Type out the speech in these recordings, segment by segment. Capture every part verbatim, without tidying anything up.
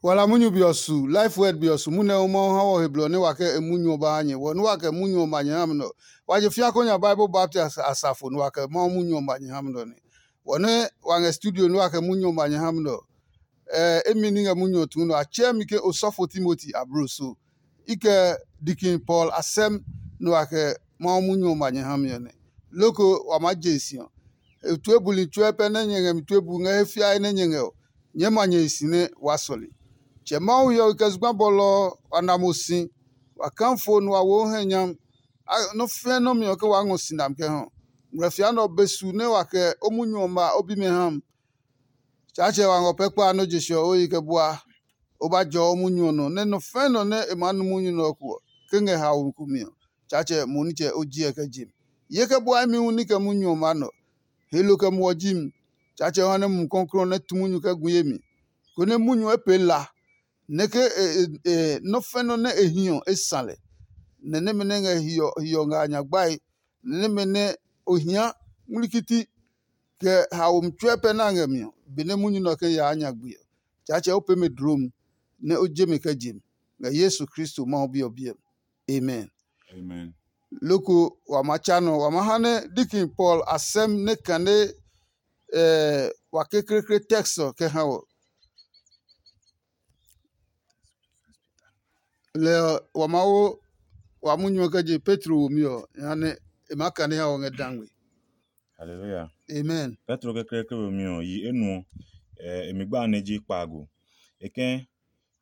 Wala munyu be ɔ su, Life Word be ɔ su, munɛ ɔ Mawu ha wɔ he blɔ nɛ wa kɛ e munyu ɔ ba ha nyɛ. Wɔ nɛ wa kɛ munyu ɔ ma nyɛ ha mi nɛ ɔ, wa je fia ko nya Bible Baptist asafo nɛ wa kɛ Mawu munyu ɔ ma nyɛ ha mi nɛ ɔ nɛ. Wɔ nɛ wa ngɛ studio nɛ wa kɛ munyu ɔ ma nyɛ ha mi nɛ ɔ, ɛ emi ní ngɛ munyu ɔ tuu nɛ ɔ, a tsɛɛ mi ke osɔfo Timoti ablo so. I kɛ Dikin Paul asɛm nɛ wa kɛ Mawu munyu ɔ ma nyɛ ha mi ɔ nɛ. Loko wa maa je e si ɔ. E tue buli tsuɛ pɛ nɛ nyɛ ngɛ mi tue bu ngɛ he fiae nɛ nyɛ ngɛ ɔ, nyɛɛ ma nyɛ hi si nɛ waa sɔle. Tsɛ Mawu hiɔwe kɛ zugba bɔlɔ ɔ, wa na mo si, wa kaa fo nɛ wa wo o hɛ nyami. Nɔ́ fɛ́ nɔ́ mi ɔ ke waa ngɔ si nami kɛ ha ɔ. Ngmlɛfia nɛ ɔ be su nɛ wa kɛ o munyu ɔ ma o bimɛ ha mi. Tsaatsɛ wa ngɔ pɛ kpa nɔ́ je se ɔ o yi kɛ bua. O ba jɔ o munyu ɔ nɔ, nɛ nɔ fɛ̃ nɔ nɛ e maa nu munyu nɛ ɔ ko ɔ, ke ngɛ haomi ko mi ɔ, Tsaatsɛ mo nitsɛ o jiɛ kɛ je mi. Ye kɛ bua imi hu ní kɛ munyu ɔ maa nɔ. He lo kɛ muɔ ji mi. Tsaatsɛ ɔ ha nɛ Mumi Klɔuklɔu ɔ nɛ tu munyu kɛ gu ye mi, konɛ munyu ɔ e pee la, nɛ ke nɔ́ fɛ̃ nɔ́ nɛ e hi ɔ, e sa lɛ. Nɛ nɛmɛ nɛ ngɛ hiɔ hiɔ ngɛ a nya gbae, nɛ nɛmɛ nɛ o hia ngmlikiti kɛ haomi tsuɛ pɛ nɛ a ngɛ mi ɔ, benɛ munyu nɛ ɔ kɛ yaa nyagbe ɔ, Tsaatsɛ o pee mɛ dlom, nɛ o je mɛ kɛ je mi, ngɛ Yesu Kristo Mawu Bi ɔ biɛ mi. Amen. Amen. Loko wa ma tsa nɔ, wa ma ha nɛ Dikin Paul a sɛm nɛ kane wa kekleekle text ɔ kɛ ha wɔ. Lɛ ɔ, wa Mawu wa munyu ɔ kɛ je Petro womi ɔ, jehanɛ e maa kane ha wɔ ngɛ dangme. Haleluya. Amen. Petro kɛkɛɛkɛ womi ɔ, yi enuɔ, e mi gba nɛ ji kpaago. E kɛ̃,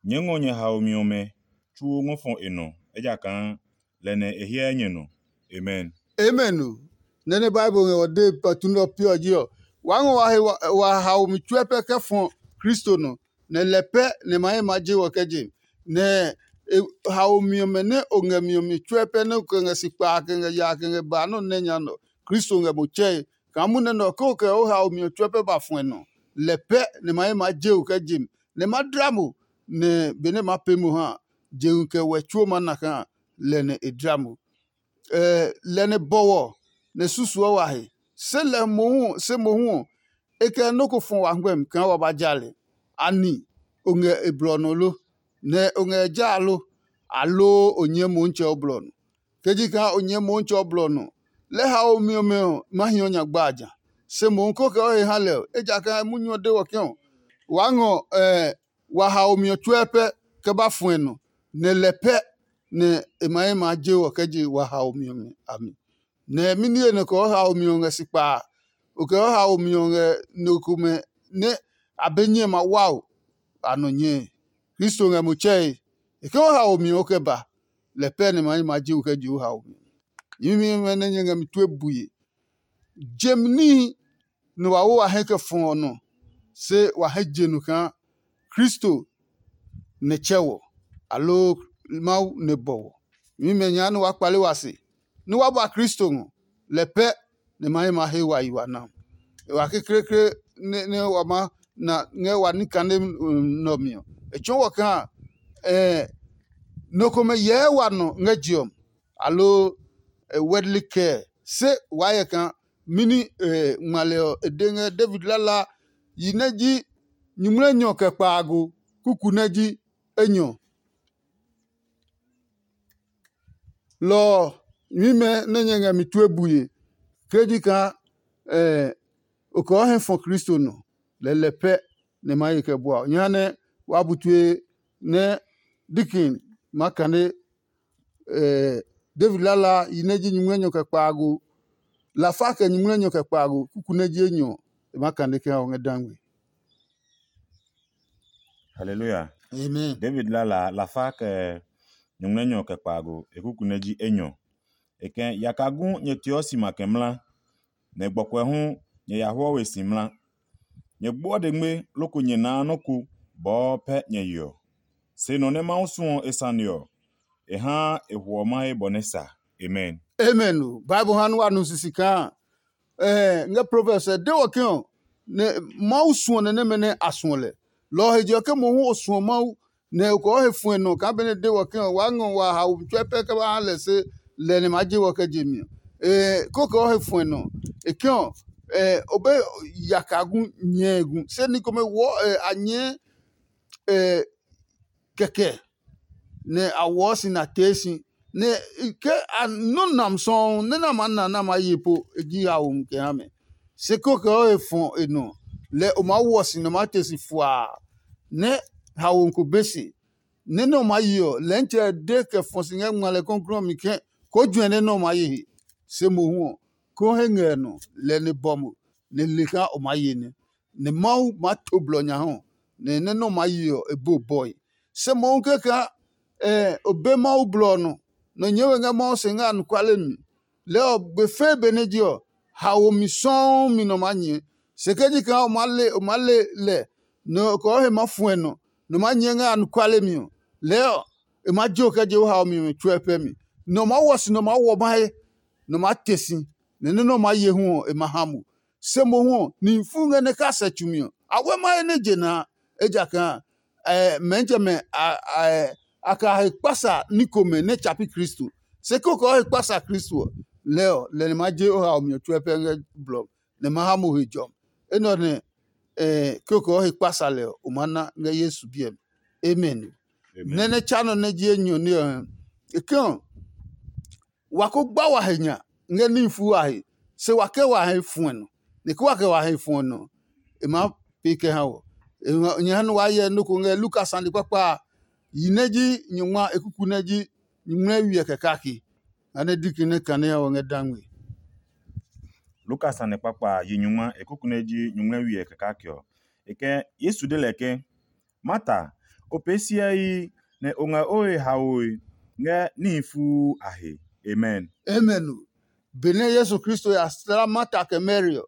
nyɛɛ ngɔ nyɛ haomi ɔmɛ tsuo ngɔ fɔ e nɔ, ejakaa lɛ nɛ e hyɛ nyɛ nɔ. Amen. Amen o. Nɛ nɛ Bible ngɛ ɔ de patu nɛ ɔ piɔ ji ɔ, waa ngɔ wa he wa haomi tsuɛ pɛ kɛ fɔ Kristo nɔ, nɛ lɛ pɛ nɛ ma he ma je wɔ kɛ je. Nɛ haomi ɔmɛ nɛ o ngɛ mi ɔ mi tsuɛ pɛ nɛ o kɛ ngɛ si kpaa kɛ ngɛ yaa kɛ ngɛ baa nɔ́ nɛ nya nɛ ɔ, Kristo ngɛ mo tsɛe. Kaa munɛ nɛ ɔ, ke o kɛ o haomi ɔ tsuɛ pɛ ba fuɛ nɔ, lɛ pɛ nɛ ma he ma je o kɛ je mi, nɛ ma dla mo, nɛ benɛ ma pee mo ha a, jehu kɛ wɛ tsuo maa na kaa lɛ nɛ e dla mo. Lɛ nɛ bɔwɔ nɛ susuɔ wa he. Se lɛ mohu se mohu ɔ, e kɛ nɔ́ ko fɔ wa ngmɛmi kaa wa ba ja lɛ. Ani o ngɛ e blɔ nɔ lo, nɛ o ngɛ e ja lo, aloo o nyɛɛ Motsɛ o blɔ nɔ? Ke ji kaa o nyɛɛ Motsɛ o blɔ nɔ, lɛ haomi ɔmɛ ɔ ma hiɔ nya gba a ja. Se mohu ko kɛ o he ha lɛ ɔ, ejakaa munyu ɔ de wɔ ke ɔ, waa ngɔ wa haomi ɔ tsuɛ pɛ kɛ ba fuɛ nɔ, nɛ lɛ pɛ nɛ e ma he maa je wɔ kɛ je wa haomi ɔmɛ a mi. Nɛ mɛni he nɔ kɛ o haomi ɔ ngɛ si kpa a? O kɛ o haomi ɔ ngɛ no komɛ nɛ a be nyɛ ma wao a nɔ nyɛe. Kristo ngɛ mo tsɛe. E ke o haomi ɔ o kɛ ba, lɛ pɛ nɛ ma he ma je o kɛ je o haomi ɔ. Nyɛmimɛ nɛ nyɛ ngɛ mi tue bue. Jem níhi nɛ wa wo wa hɛ kɛ fɔ ɔ nɔ, se wa hɛ je nu kaa Kristo nɛ tsɛ wɔ, aloo Mawu nɛ bɔ wɔ. Nyɛmimɛ nya nɛ waa kpale wa se, nɛ wa ba Kristo ngɔ, lɛ pɛ nɛ ma he ma he wa yi wa na. E wa kekleekle nɛ wa maa na ngɛ wa ní kane nɛ ɔ mi ɔ, e tsɔɔ wɔ kaa nɔ komɛ hyɛɛ wa nɔ ngɛ je ɔ mi, aloo worldly care, se waa hyɛ kaa mɛni ngma lɛ ɔ e de ngɛ David lala yi nɛ ji nyuŋmlɛnyɔ kɛ kpaago kuku nɛ ji enyɔ. Lɔ ɔ, nyɛmimɛ nɛ nyɛ ngɛ mi tue bue, ke ji kaa o kɛ o hɛ fɔ Kristo nɔ, lɛlɛ pɛ nɛ ma ye kɛ bua o. Jehanɛ wa bu tue nɛ Dikin ma kane David lala yi nɛ ji nyumu enyɔ kɛ kpaago, lafa kɛ nyumu enyɔ kɛ kpaago, kuku nɛ ji enyɔ ɔ, e ma kane kɛ ha o ngɛ dangme. Haleluya. Amen. David lala lafa kɛ nyumu enyɔ kɛ kpaago, e kuku nɛ ji enyɔ. E kɛ yaka gu nyɛ teɔ si ma kɛ mla, nɛ gbɔkuɛ hu nyɛ ya huɔ we si mla. Nyɛ gbuɔ dengme loko nyɛ naa nɔ́ ko bɔɔ pɛ nyɛ yeɔ. Se nɔ nɛ Mawu suɔ e sane ɔ, e haa e hwɔ mahe bɔ nɛ sa. Amen. Amen o. Bible ha nɛ wa nu sisi kaa ngɛ Proverbs ɛ de wɔ ke ɔ, nɛ Mawu suɔ nɛ nɛmɛ nɛ a suɔ lɛ. Lɔ ɔ he je ɔ, ke mohu o suɔ Mawu, nɛ o kɔɔ he fuɛ nɔ kaa benɛ de wɔ ke ɔ, waa ngɔ wa haomi tsuɛ pɛ kɛ ba ha lɛ se lɛ nɛ maa je wɔ kɛ je mi ɔ. Ee, ko kɔɔ he fuɛ nɔ. E ke ɔ, o be yaka gu nyɛɛ gu. Se ni komɛ wɔ a nyɛɛ, e kɛkɛ nɛ a wɔɔ si nɛ a tee si. Nɛ ke a nɔ́ nam sɔuu nɛ nɛ a maa na nɛ a maa ye po e ji haomi kɛ ha mɛ. Se kókɛ ɔ he fɔ e nɔ, lɛ o maa wɔ si nɛ o maa te si fuaa nɛ haomi ko be se. Nɛ nɛ o maa ye ɔ, Lɛntsɛ de kɛ fɔ si ngɛ ngma lɛ kɔklɔɔ mi ke koo juɛ nɛ nɛ o maa ye he. Se mohu ɔ, koo he ngɛ ɔ nɔ, lɛ nɛ bɔ mo, nɛ le kaa o maa ye nɛ. Nɛ Mawu maa to blɔ nya ha ɔ, nɛ nɛ nɛ o maa ye ɔ, e bo bɔe. Se mohu kɛkaa o be Mawu blɔ ɔ nɔ, nɛ o nyɛɛ we ngɛ Mawu se ngɛ anɔkuale mi. Lɛɛ ɔ, gbe fɛɛ benɛ je ɔ, haomi sɔuu mi nɔ maa nyɛɛ. Se ke ji kaa o maa le o maa le lɛ, nɛ o kɛ o he maa fuɛ nɔ, nɛ o maa nyɛɛ ngɛ anɔkuale mi ɔ, lɛɛ ɔ, e maa je o kɛ je o haomi ɔmɛ tsuɛ pɛ mi. Nɛ o maa wɔ si nɛ o maa wɔ mahe, nɛ o maa te si, nɛ nɔ́ nɛ o maa ye hu ɔ, e ma ha mo. Se mohu ɔ, nihi fu ngɛ nɛ ka sɛ tsu mi ɔ, a wɛ mahe nɛ je na a, ejakaa mɛɛ nitsɛmɛ a ka he kpasa ní komɛ nɛ tsa pi Kristo. Se kókɛ o he kpasa Kristo ɔ, lɛɛ ɔ, lɛ nɛ ma je o haomi ɔ tsuɛ pɛ ngɛ blɔ nɛ ma ha mo he jɔmi. Enɛ ɔ nɛ kókɛ o he kpasa lɛ ɔ, o maa na ngɛ Yesu biɛ mi. Amen. Nɛ nɛ tsa nɔ nɛ ji enyɔ ní ɔ, e ke ɔ, wa ko gba wa he nya ngɛ níhi fuu a he, se wa kɛ wa he fuɛ nɔ, nɛ ke wa kɛ wa he fuɛ nɔ, e maa pee kɛ ha wɔ. Nyɛ ha nɛ waa hyɛ nɔ́ ko ngɛ Luka sane kpakpa a, yi nɛ ji nyɔngma e kuku nɛ ji nyuŋmlɛwi ɛ kɛ kake. Nga nɛ diki nɛ kane ha wɔ ngɛ dangme. Luka sane kpakpa a, yi nyɔngma e kuku nɛ ji nyuŋmlɛwi ɛ kɛ kake ɔ. E kɛ Yesu de lɛ ke, Marta, o pee siɛii, nɛ o ngɛ o he haoe ngɛ níhi fuu a he. Amen. Amen o. Benɛ Yesu Kristo ya sla Marta kɛ Mary ɔ,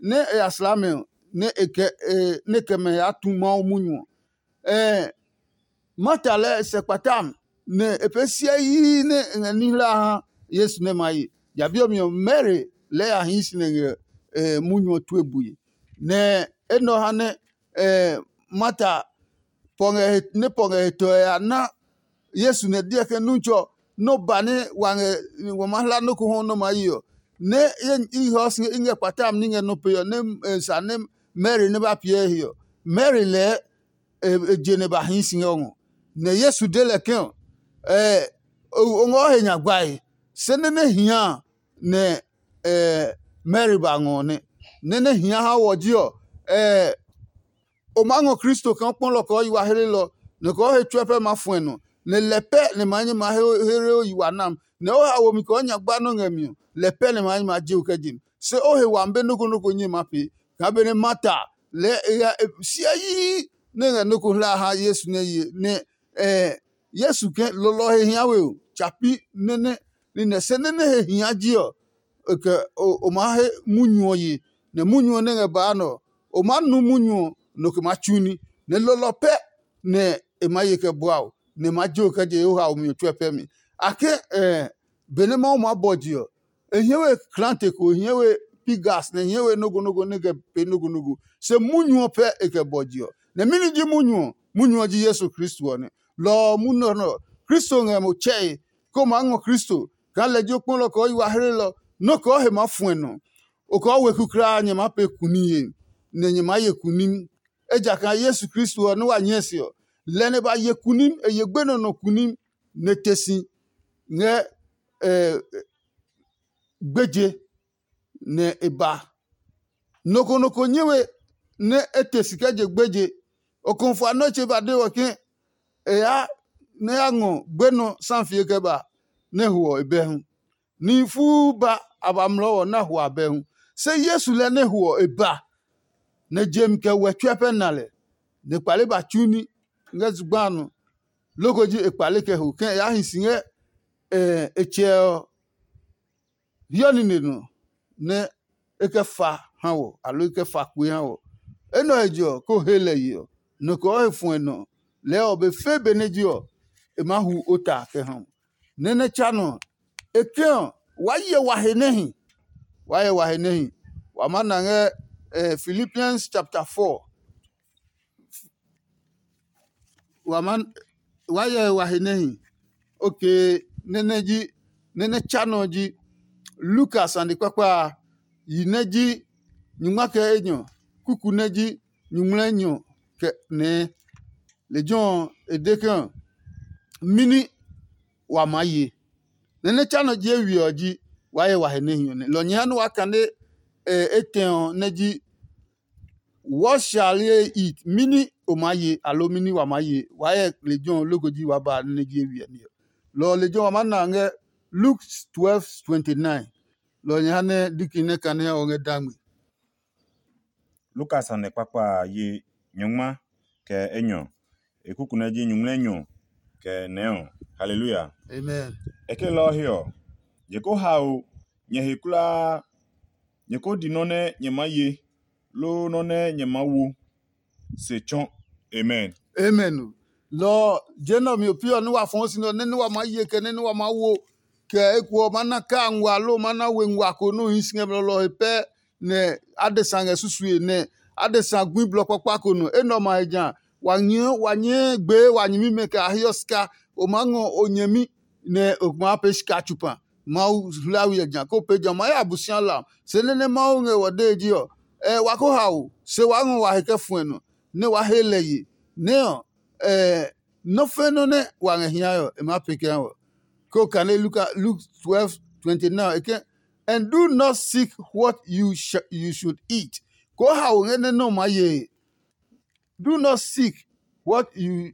nɛ e ya sla mɛ ɔ, nɛ e kɛ e nɛ kɛ mɛ ya tu Mawu munyu ɔ, ɛɛ Marta lɛɛ e sɛ kpata mi, nɛ e pee siɛ yii nɛ e ngɛ ní hla ha Yesu nɛ ma ye. Ja bi ɔ mi ɔ, Mary lɛɛ ya hii si nɛ ngɛ e munyu ɔ tue bue. Nɛ enɛ ɔ ha nɛ Marta pɔ ngɛ he nɛ pɔ ngɛ he tɔe a na Yesu nɛ deɔ ke, Nuntsɔ, nɔ́ ba nɛ wa ngɛ wa ma hla nɔ́ ko hɔ nɔ́ ma yi ɔ, nɛ i hɔ si i ngɛ kpata mi ní ngɛ nɔ́ pe ɔ, nɛ e sa nɛ Mary nɛ ba piɛ he ɔ, Mary lɛɛ e je nɛ ba hii si ngɛ o ngɔ. Nɛ Yesu de lɛ ke, o ngɔ he nya gbae, se nɛ nɛ hia nɛ Mary ba ngɔ nɛ. Nɛ nɛ hia ha wɔ ji ɔ, o maa ngɔ Kristo kaa kpɔlɔ kɛ o yi wa hlelɔ, nɛ kɛ o he tsuɛ pɛ maa fuɛ nɔ, nɛ lɛ pɛ nɛ maa nyɛ maa here o yi wa nam, nɛ o ha womi kɛ o nya gba nɔ́ ngɛ mi ɔ, lɛ pɛ nɛ maa nyɛ maa je o kɛ je mi. Se o he wami be nɔ́ ko nɔ́ ko nyɛ maa pee kaa benɛ Marta lɛɛ e ngɛ e sia yii nɛ e ngɛ nɔ́ ko hla ha Yesu nɛ ye nɛ Yesu ke lɔlɔ he hia we o, tsa pi nɛ́ nɛ nine se nɛ́ nɛ he hia ji ɔ, e kɛ o maa he munyu ɔ ye, nɛ munyu ɔ nɛ ngɛ baa nɛ ɔ, o maa nu munyu ɔ, nɔ ko maa tsu ní, nɛ lɔlɔ pɛ nɛ e maa ye kɛ bua o, nɛ e maa je o kɛ je o haomi ɔ tsuɛ pɛ mi. A ke benɛ Mawu maa bɔ je ɔ, e hie we klaate ko, e hie we pi gas, nɛ e hie we nɔ́ ko nɔ́ ko nɛ e kɛ pee nɔ́ ko nɔ́ ko. Se munyu ɔ pɛ e kɛ bɔ je ɔ. Nɛ mɛni ji munyu ɔ? Munyu ɔ ji Yesu Kristo ɔ nɛ. Lɔ ɔ munyu ɔ nɛ ɔ, Kristo ngɛ mo tsɛe, ke o maa ngɔ Kristo kaa lɛ ji o kpɔlɔ kɛ o yi wa hlelɔ, nɔ́ kɛ o he maa fuɛ nɔ. O kɛ o weku kulaa nyɛ maa pee kuniye, nɛ nyɛ maa ye kunim. Ejakaa Yesu Kristo ɔ nɛ wa nyɛɛ se ɔ, lɛ nɛ ba ye kunim, e ye gbenɔ nɔ kunim, nɛ te si ngɛ gbeje, nɛ e ba. Nɔ ko nɔ ko nyɛ we nɛ e te si kɛ je gbeje. Ɔkɔnfua nɔ́ tse ba de wɔ ke e ya nɛ ya ngɔ gbenɔ safie kɛ ba nɛ e ho ɔ e bɛ hu. Nihi fuu ba a ba mlɔɔ wɔ nɛ a ho abɛ hu. Se Yesu lɛ nɛ e ho ɔ e ba, nɛ je mi kɛ wɛ tsuɛ pɛ na lɛ, nɛ e kpale ba tsu ní ngɛ zugba a nɔ. Loko ji e kpale kɛ ho kɛ e yaa hi si ngɛ e tsɛ ɔ hiɔ nine nɔ nɛ e kɛ fa ha wɔ, aloo e kɛ fa kue ha wɔ. Enɛ ɔ he je ɔ, kó he lɛ ye ɔ, nɔ kɛ ɔ he fuɛ nɔ lɛɛ ɔ be fɛɛ benɛ je ɔ, e maa hu ota kɛ ha mo. Nɛ nɛ tsa nɔ ɔ, e ke ɔ, waa hyɛ wa he nɛ hi. Waa hyɛ wa he nɛ hi. Wa maa na ngɛ eh, Philippians chapter four. Wa ma wa yɛ wa he nɛ hi. Okay, nɛ nɛ ji nɛ nɛ tsa nɔ ɔ ji Lukas sane kpakpa a, yi nɛ ji nyingma kɛ enyɔ, kuku nɛ ji nyuŋmlɛ enyɔ kɛ nɛɛ. Lejɛ ɔ, e de ke, mɛni wa maa ye? Nɛ nɛ tsa nɔ ji e we ɔ ji, waa hyɛ wa he nɛ hi ɔ nɛ. Lɔ nyɛ ha nɛ waa kane etɛ ɔ nɛ ji, what shall ye eat? Mɛni o maa ye, aloo mɛni wa maa ye? Waa hyɛ lejɛ ɔ loko ji waa ba nɛ nɛ ji e we ɔ ní ɔ. Lɔ ɔ lejɛ ɔ wa maa na ngɛ Luke twelve twenty nine. Lɔ ɔ nyɛ ha nɛ diki nɛ kane ɔ ngɛ dangme. Lukas sane kpakpa a ye nyɔngma kɛ enyɔ. E kuku nɛ ji nyuŋmlɛnyɔ kɛ nɛɔ. Haleluya! Amen. E ke lɔ ɔ he ɔ, nyɛ ko hao nyɛ he kulaa, nyɛ ko di nɔ́ nɛ nyɛ maa ye, loo nɔ́ nɛ nyɛ maa wo se tsɔ. Amen. Amen. Lɔ ɔ, je nɛ ɔ mi ɔ pi ɔ nɛ wa fɔɔ si nɛ ɔ, nɛ nɛ wa maa ye kɛ nɛ nɛ wa maa wo kɛ eko ɔ ma na kaa nguaa loo ma na we nguaa ko nɛ o hii si ngɛ blɔlɔ he pɛ nɛ adesa ngɛ susue nɛ adesa gui blɔ kpakpa ko nɔ. Enɛ ɔ ma he ja wa nyɛɛ wa nyɛɛ gbee wa nyɛmimɛ kɛ a heɔ sika. O maa ngɔ o nyɛmi nɛ o maa pee sika tsupa. Mawu hlawi ɔ ja ko pee ja o maa ya Abosialam. Se nɛ nɛ Mawu ngɛ wɔ dee ji ɔ, ɛ wa ko hao se waa ngɔ wa he kɛ fuɛ nɔ nɛ waa he lɛ ye nɛ ɔ, ɛ nɔ́ fɛ́ nɔ́ nɛ wa ngɛ hiae ɔ, e maa pee kɛ ha wɔ. Ko kane Luka Luke twelve twenty nine e ke, and do not seek what you sh- you should eat. Ko hao ngɛ nɛ nɔ maa ye. Do not seek what you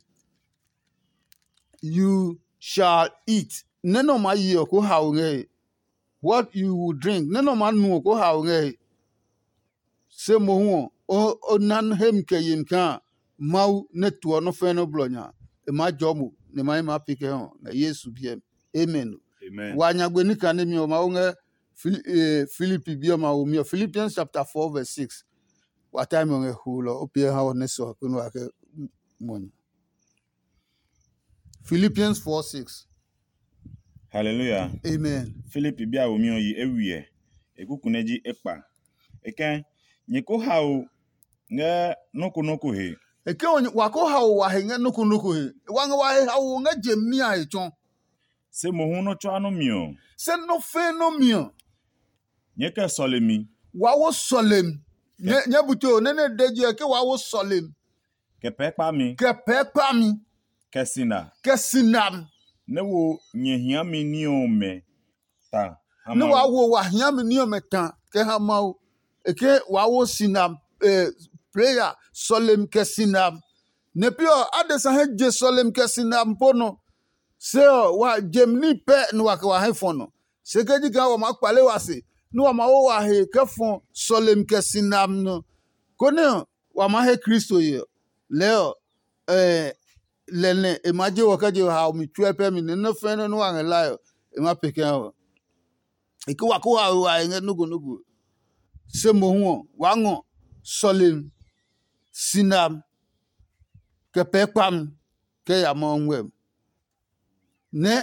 you shall eat. Nɛ nɔ maa ye ɔ ko hao ngɛ he. What you will drink. Nɛ nɔ maa nu ɔ ko hao ngɛ he. Se mohu ɔ, o na hemi kɛ yemi kaa Mawu nɛ tuɔ nɔ́ fɛ́ nɔ́ blɔ nya. E maa jɔɔ mo, nɛ e ma he maa pee kɛ hɔ ngɛ Yesu biɛ mi. Amen. Wa nyagbe ní kanemi ɔ Mawu ngɛ Filipi bi ɔmɛ a womi ɔ, Philippians chapter four verse six. Wa tae mi ɔ ngɛ huulɔ o piɛ ha ɔ nɛ sɔ konu wa kɛ mɔ nya. Philippians four six. Hallelujah. Amen. Filipi bi a womi ɔ yi ewiɛ, e kuku nɛ ji ekpa. E kɛ̃, nyɛ ko hao ngɛ nɔ́ ko nɔ́ ko he. E ke wa ko hao wa he ngɛ nɔ́ ko nɔ́ ko he. Wa ngɛ wa he hao ngɛ je mi a he tsɔ. Se mohu nɔ́ tsuaa nɔ́ mi ɔ. Se nɔ́ fɛ̃ nɔ́ mi ɔ. Nyɛɛ kɛ sɔlemi. Wa wo sɔlemi. Nyɛ bute o nɛ nɛ de je ɔ ke wa wo sɔlemi. Kɛ pɛɛ kpami. Kɛ pɛɛ kpami. Kɛ sina. Kɛ sinam. Nɛ wo nyɛ hiami ní ɔmɛ ta. Nɛ wa wo wa hiami ní ɔmɛ ta kɛ ha Mawu. E ke wa wo sinam, prayer, sɔlemi kɛ sinam. Nɛ pi ɔ, adesa hɛ je sɔlemi kɛ sinam po nɔ. Se ɔ, wa jem ní pɛ nɛ wa kɛ wa hɛ fɔ nɔ. Se ke ji kaa wa maa kpale wa se, nɛ wa maa wo wa he kɛ fɔ sɔlemi kɛ sinam nɔ, konɛ ɔ, wa maa he Kristo ye ɔ. Lɛɛ ɔ, lɛ nɛ e ma je wɔ kɛ je haomi tsuɛ pɛ mi nɛ nɔ́ fɛ̃ nɔ́ nɛ wa ngɛ lae ɔ, e ma pee kɛ ha wɔ. E ke wa ko haoe wa he ngɛ nɔ́ ko nɔ́ ko. Se mohu ɔ, waa ngɔ sɔlemi, sinam, kɛ pɛɛ kpami, kɛ ya Mawu ngmɛmi. Nɛ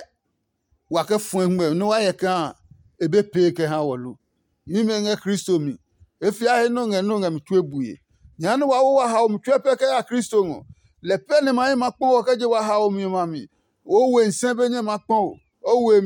wa kɛ fɔ̃ ngmɛmi nɛ wa hyɛ kaa e be pee kɛ ha wɔ lo. Nyɛmimɛ ngɛ Kristo mi, e fia he nɔ́ ngɛ nɔ́ ngɛ mi tue bue. Jehanɛ wa wo wa haomi tsuɛ pɛ kɛ ya Kristo ngɔ. Lɛ pɛ nɛ ma he ma kpɔ wɔ kɛ je wa haomi ɔmɛ a mi. O we nsɛ be nyɛ ma kpɔ o, o we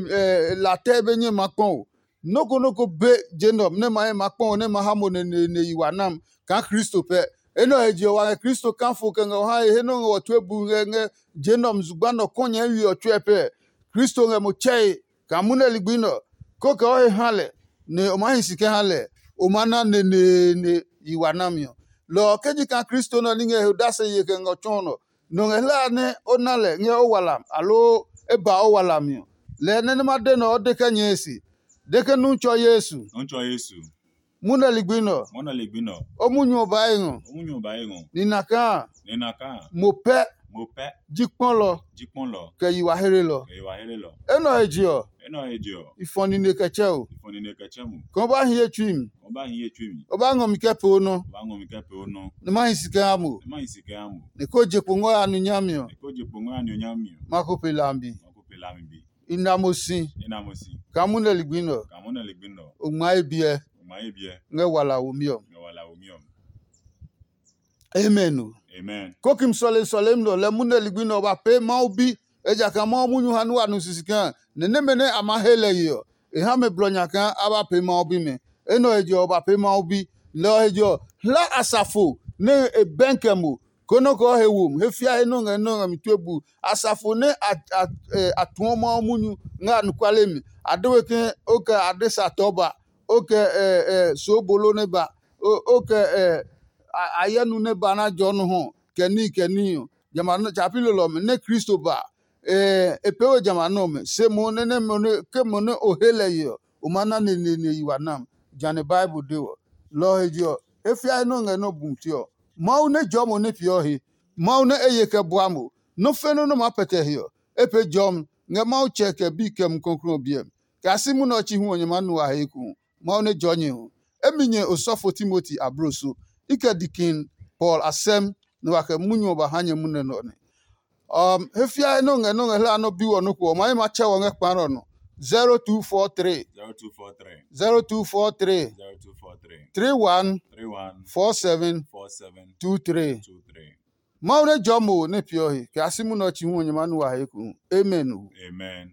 latɛ be nyɛ ma kpɔ o. Nɔ́ ko nɔ́ ko be je nɛ ɔ nɛ ma he ma kpɔ o nɛ ma ha mo neneene yi wa nam kaa Kristo pɛ. Enɛ ɔ he je ɔ, wa ngɛ Kristo kafo kɛ ngɛ o hae he nɛ o ngɛ wɔ tue bu ngɛ ngɛ je nɛ ɔ mi zugba nɛ ɔ kɔnyɛɛwi ɔ tsuɛ pɛ. Kristo ngɛ mo tsɛe kaa munɛ ligbi nɛ ɔ, kó kɛ o he ha lɛ, nɛ o maa hi si kɛ ha lɛ, o maa na neneene yi wa nami ɔ. Lɔ ɔ, ke ji kaa Kristo nɛ ɔ ní ngɛ he odase ye kɛ ngɛ o tsɔɔ nɔ, nɔ ngɛ hlaa nɛ o na lɛ ngɛ o walam aloo e ba o walami ɔ, lɛɛ nɛ nɛ ma de nɛ ɔ de kɛ nyɛe se, de ke nu tsɔ Yesu. Nɔ tsɔ Yesu. Munɛ ligbi nɛ ɔ, Mɔnɔ ligbi nɔ. O munyu ɔ ba e ngɔ. O munyu ɔ ba e ngɔ. Ni na kaa. Ni na kaa. Mo pɛ. Mo pɛ. Ji kpɔlɔ. Ji kpɔlɔ. Kɛ yi wa hlelɔ. Kɛ yi wa hlelɔ. Enɛ ɔ he je ɔ. Enɛ ɔ he je ɔ. I fɔ nine kɛ tsɛ o. I fɔ nine kɛ tsɛ mo. Kɛ o ba hi ye tsui mi. Kɛ o ba hi ye tsui mi. O ba ngɔ mi kɛ pee o nɔ. O ba ngɔ mi kɛ pee o nɔ. Ni ma hi si kɛ ha mo. Ni ma hi si kɛ ha mo. Ni ko je kpo ngɔ ya nu nyami ɔ. Ni ko je kpo ngɔ ya nu nyami ɔ. Ma ko pe lambi. Ma ko pe lambi. I na mo si. I na mo si. Kaa munɛ ligbi nɛ ɔ. Kaa munɛ ligbi nɛ ɔ. O ngma ye biɛ. O ngma ye biɛ. Ngɛ wala womi ɔ. Ngɛ wala womi ɔ. Amen o. Amen. Kokim sɔlemi sɔlemi nɛ ɔ lɛ munɛ ligbi nɛ ɔ ba pee Mawu bi. Ejakaa Mawu munyu ha nɛ wa nu sisi kaa nɛ nɛmɛ nɛ a ma he lɛ ye ɔ, e ha mɛ blɔ nya kaa a ba pee Mawu bimɛ. Enɛ ɔ he je ɔ, o ba pee Mawu bi. Lɔ ɔ he je ɔ, hla asafo nɛ e bɛnkɛ mo Konɛ o kɛ he wom, he fia he nɔ ngɛ nɔ ngɛ mi tue bu. Asafo nɛ a tuɔ Mawu munyu ngɛ anɔkuale mi, a de we ke o kɛ adesa tɔ ba, o kɛ soobolo nɛ ba, o kɛ ayɛnu nɛ ba na jɔ nɔ hɔ, kɛ níhi kɛ níhi ɔ. Jamɛ a nɔ tsapi lelɔ ɔmɛ nɛ Kristo ba, e pee we jamɛ a nɔ ɔmɛ. Se mohu nɛ nɛ ke mo nɛ o he lɛ ye ɔ, o ma na neneene yi wa nam. Jane Bible de ɔ. Lɔ ɔ he je ɔ, he fiae nɛ o ngɛ nɛ o bu mti ɔ, Mawu nɛ jɔɔ mo nɛ peeɔ he. Mawu nɛ e ye kɛ bua mo. Nɔ́ fe nɔ́ nɛ o maa pɛtɛ he ɔ, e pee jɔmi ngɛ Mawu Tsɛ kɛ Bi kɛ Mumi Klɔuklɔu ɔ biɛ mi. Kɛ a si munɛ ɔ chi hu ɔ, nyɛ maa nu a he ekohu. Mawu nɛ jɔɔ nyɛ hu. Emi nyɛ osɔfo Timoti ablo so. I kɛ dikin Paul a sɛm nɛ wa kɛ munyu ɔ ba ha nyɛ munɛ nɛ ɔ nɛ. Um, he fiae nɛ o ngɛ nɛ o ngɛ hlaa nɛ o bi wɔ nɔ́ ko ɔ, ma ye ma tsɛ wɔ ngɛ kpa nɛ ɔ nɔ. zero two four three zero two four three zero two four three zero two four three three one three one four seven four seven two three. Two three. Mawu nɛ jɔɔ mo nɛ peeɔ he, kɛ a si munɛ ɔ chi hu ɔ nyɛ ma nu wa he ku. Amen. Amen.